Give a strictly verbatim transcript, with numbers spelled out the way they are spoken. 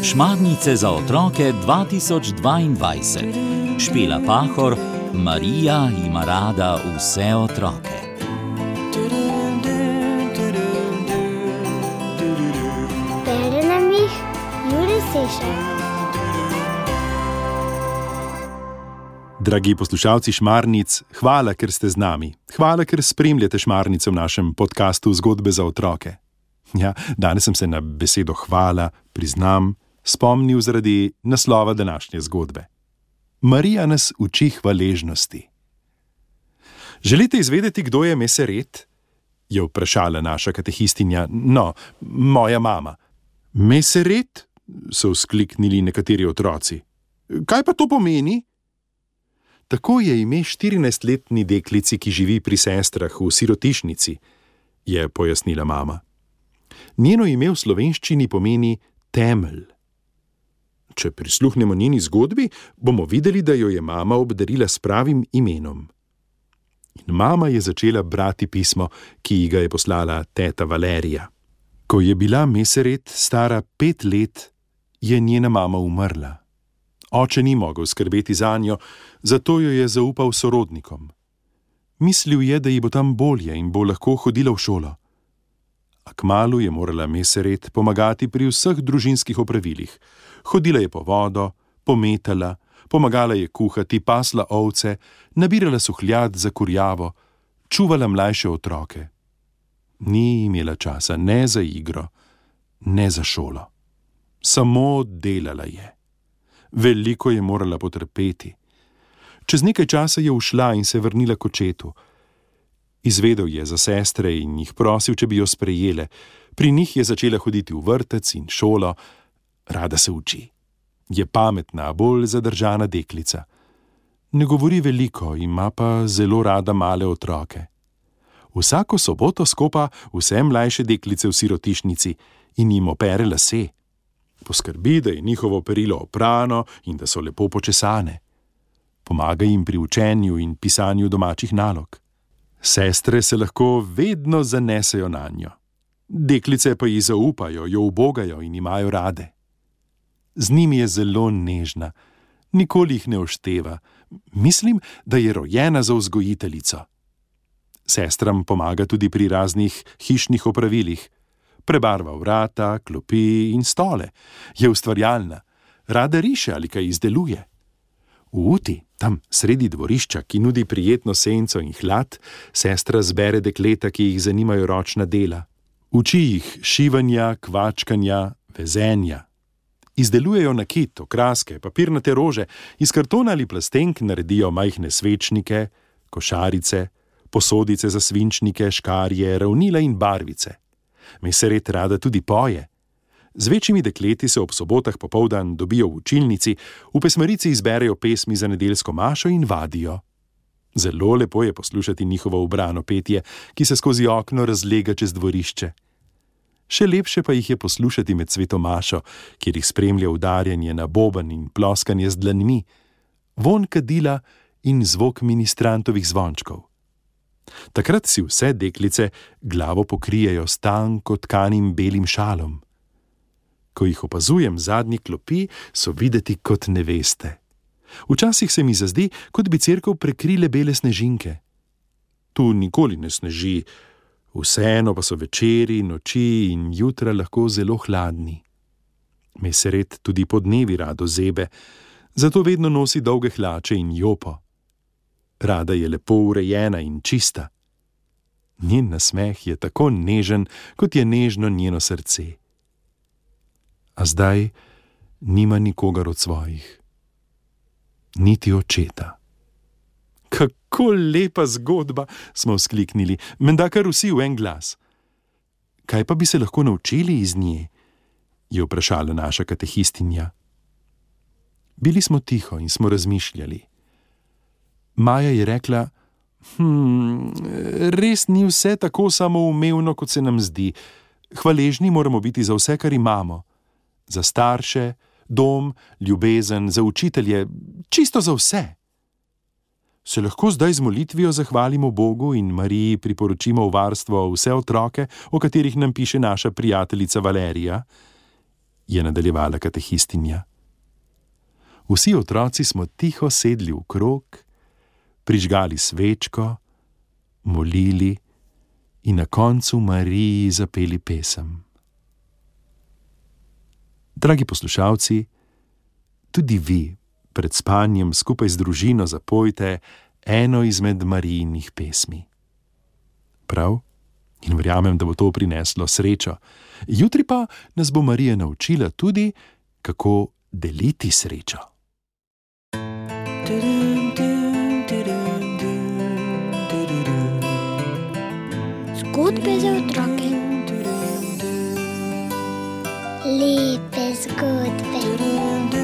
Šmarnice za otroke dva tisoč dvaindvajset. Špela Pahor, Marija ima rada vse otroke. Bere nam jih Jure Sešar. Dragi poslušalci Šmarnic, hvala, ker ste z nami. Hvala, ker spremljate Šmarnice v našem podkastu Zgodbe za otroke. Ja, danes sem se na besedo hvala, priznam, spomnil zaradi naslova današnje zgodbe. Marija nas uči hvaležnosti. Želite izvedeti, kdo je Meseret? Je vprašala naša katehistinja, no, moja mama. Meseret? So vzkliknili nekateri otroci. Kaj pa to pomeni? Tako je ime štirinajstletni deklici, ki živi pri sestrah v sirotišnici, je pojasnila mama. Njeno ime v slovenščini pomeni temelj. Če prisluhnemo njeni zgodbi, bomo videli, da jo je mama obdarila s pravim imenom. In mama je začela brati pismo, ki ji ga je poslala teta Valerija. Ko je bila Meseret stara pet let, je njena mama umrla. Oče ni mogel skrbeti zanjo, zato jo je zaupal sorodnikom. Mislil je, da ji bo tam bolje in bo lahko hodila v šolo. A kmalu je morala Meseret pomagati pri vseh družinskih opravilih. Hodila je po vodo, pometala, pomagala je kuhati, pasla ovce, nabirala suhljad za kurjavo, čuvala mlajše otroke. Ni imela časa ne za igro, ne za šolo. Samo delala je. Veliko je morala potrpeti. Čez nekaj časa je ušla in se vrnila k očetu. Izvedel je za sestre in jih prosil, če bi jo sprejele. Pri njih je začela hoditi v vrtec in šolo. Rada se uči. Je pametna, bolj zadržana deklica. Ne govori veliko, ima pa zelo rada male otroke. Vsako soboto skopa vse mlajše deklice v sirotišnici in jim opere lase. Poskrbi, da je njihovo perilo oprano in da so lepo počesane. Pomaga jim pri učenju in pisanju domačih nalog. Sestre se lahko vedno zanesejo nanjo. Deklice pa ji zaupajo, jo ubogajo in imajo rade. Z njimi je zelo nežna, nikoli jih ne ošteva. Mislim, da je rojena za vzgojiteljico. Sestram pomaga tudi pri raznih hišnih opravilih. Prebarva vrata, klopi in stole. Je ustvarjalna. Rada riše ali kaj izdeluje. V uti, tam sredi dvorišča, ki nudi prijetno senco in hlad, sestra zbere dekleta, ki jih zanimajo ročna dela. Uči jih šivanja, kvačkanja, vezenja. Izdelujejo nakit, okraske, papirnate rože, iz kartona ali plastenk naredijo majhne svečnike, košarice, posodice za svinčnike, škarje, ravnila in barvice. Meseret rada tudi poje. Z večjimi dekleti se ob sobotah popoldan dobijo v učilnici, v pesmarici izberejo pesmi za nedeljsko mašo in vadijo. Zelo lepo je poslušati njihovo ubrano petje, ki se skozi okno razlega čez dvorišče. Še lepše pa jih je poslušati med svetomašo, kjer jih spremlja udarjanje na boben in ploskanje z dlanmi, vonj kadila in zvok ministrantovih zvončkov. Takrat si vse deklice glavo pokrijejo s tanko tkanim belim šalom. Ko jih opazujem zadnji klopi, so videti kot neveste. Včasih se mi zazdi, kot bi cerkev prekrile bele snežinke. Tu nikoli ne sneži, vseeno pa so večeri, noči in jutra lahko zelo hladni. Meseret tudi podnevi rado zebe, zato vedno nosi dolge hlače in jopo. Rada je lepo urejena in čista. Njen nasmeh je tako nežen, kot je nežno njeno srce. A zdaj nima nikogar od svojih. Niti očeta. Kako lepa zgodba, smo vzkliknili, menda kar vsi v en glas. Kaj pa bi se lahko naučili iz nje? Je vprašala naša katehistinja. Bili smo tiho in smo razmišljali. Maja je rekla, hm, res ni vse tako samoumevno, kot se nam zdi. Hvaležni moramo biti za vse, kar imamo. Za starše, dom, ljubezen, za učitelje, čisto za vse. Se lahko zdaj z molitvijo zahvalimo Bogu in Mariji priporočimo v varstvo vse otroke, o katerih nam piše naša prijateljica Valerija? Je nadaljevala katehistinja. Vsi otroci smo tiho sedli v krog, prižgali svečko, molili in na koncu Mariji zapeli pesem. Dragi poslušalci, tudi vi pred spanjem skupaj z družino zapojte eno izmed Marijinih pesmi. Prav? In verjamem, da bo to prineslo srečo. Jutri pa nas bo Marija naučila tudi, kako deliti srečo. Zgodbe za otroke. Lepe zgodbe.